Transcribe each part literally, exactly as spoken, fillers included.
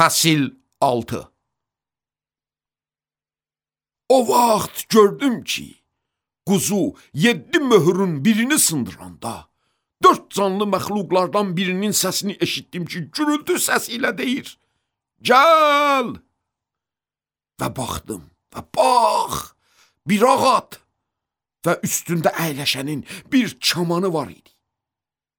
Fəsil altı. O vaxt gördüm ki, quzu yeddi möhürün birini sındıranda, dörd canlı məxluqlardan birinin səsini eşitdim ki, gürültü səsi ilə deyir, gəl! Və baxdım və bax, bir ağat və üstündə əyləşənin bir çamanı var idi.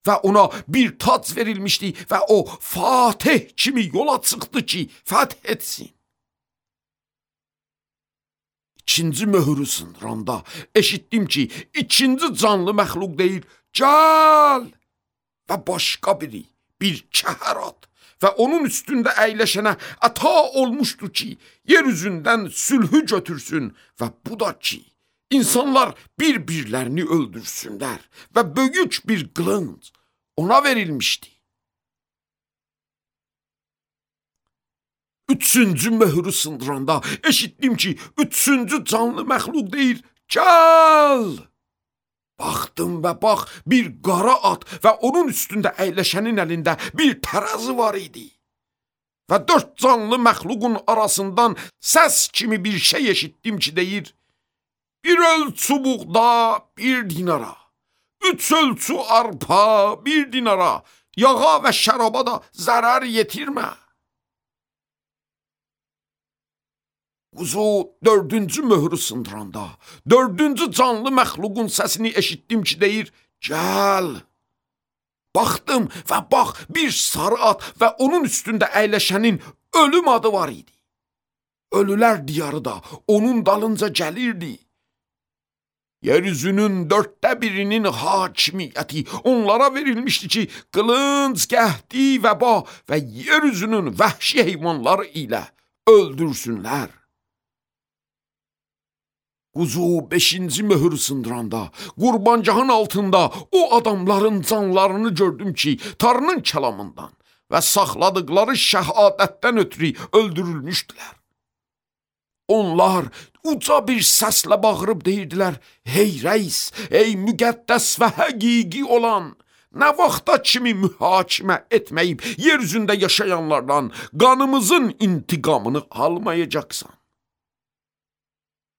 Və ona bir tac verilmişdi və o Fatih kimi yola çıxdı ki, fəth etsin. İkinci möhürü sındıranda eşitdim ki, ikinci canlı məxluq deyir, gəl! Və başqa biri, bir kəhər at və onun üstündə əyləşənə əta olmuşdur ki, yer üzündən sülhü götürsün və bu da ki, İnsanlar bir-birlərini öldürsünlər və böyük bir qılınc ona verilmişdi. Üçüncü möhürü sındıranda eşitdim ki, üçüncü canlı məxluq deyir, gəl! Baxdım və bax, bir qara at və onun üstündə əyləşənin əlində bir tərəzi var idi. Və dörd canlı məxluqun arasından səs kimi bir şey eşitdim ki, deyir, bir ölçü buğda, bir dinara, üç ölçü arpa, bir dinara, yağa və şəraba da zərər yetirmə. Quzu dördüncü möhürü sındıranda, dördüncü canlı məxluqun səsini eşitdim ki, deyir, gəl. Baxdım və bax, bir sarı at və onun üstündə əyləşənin ölüm adı var idi. Ölülər diyarı da onun dalınca gəlirdi. Yeryüzünün dörddə birinin hakimiyyəti onlara verilmişdi ki, qılınc, qəhdi, vəba və yeryüzünün vəhşi heyvanları ilə öldürsünlər. Quzu beşinci möhür sındıranda, qurbancağın altında o adamların canlarını gördüm ki, Tanrının kəlamından və saxladıqları şəhadətdən ötürü öldürülmüşdülər. Onlar uca bir səslə bağırıb deyirdilər, hey rəis, ey müqəddəs və həqiqi olan, nə vaxta kimi mühakimə etməyib yeryüzündə yaşayanlardan qanımızın intiqamını almayacaqsan.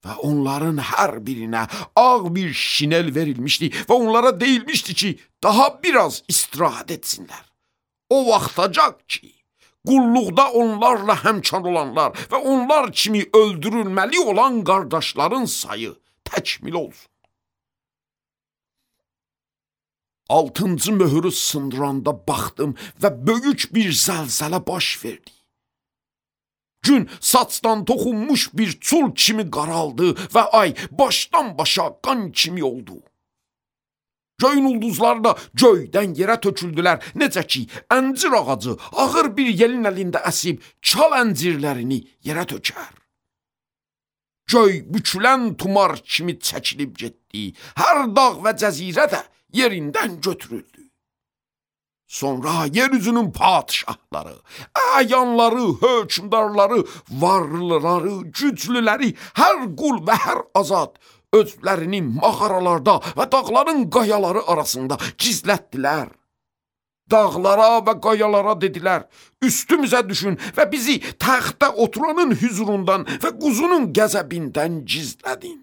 Və onların hər birinə ağ bir şinel verilmişdi və onlara deyilmişdi ki, daha biraz istirahət etsinlər. O vaxtacaq ki, qulluqda onlarla həmçar olanlar və onlar kimi öldürülməli olan qardaşların sayı təkmil olsun. Altıncı möhürü sındıranda baxdım və böyük bir zəlzələ baş verdi. Gün saçdan toxunmuş bir çul kimi qaraldı və ay başdan başa qan kimi oldu. Göyün ulduzları da göydən yerə töküldülər, necə ki, əncir ağacı ağır bir yelin əlində əsib çal əncirlərini yerə tökər. Göy bükülən tumar kimi çəkilib getdi, hər dağ və cəzirə də yerindən götürüldü. Sonra yeryüzünün padişahları, əyanları, hökmdarları, varlıları, güclüləri, hər qul və hər azad özlərini mağaralarda və dağların qayaları arasında gizlətdilər. Dağlara və qayalara dedilər, üstümüzə düşün və bizi təxtə oturanın hüzurundan və quzunun qəzəbindən gizlədin.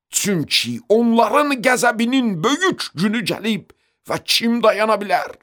Çünki onların qəzəbinin böyük günü gəlib və kim dayana bilər?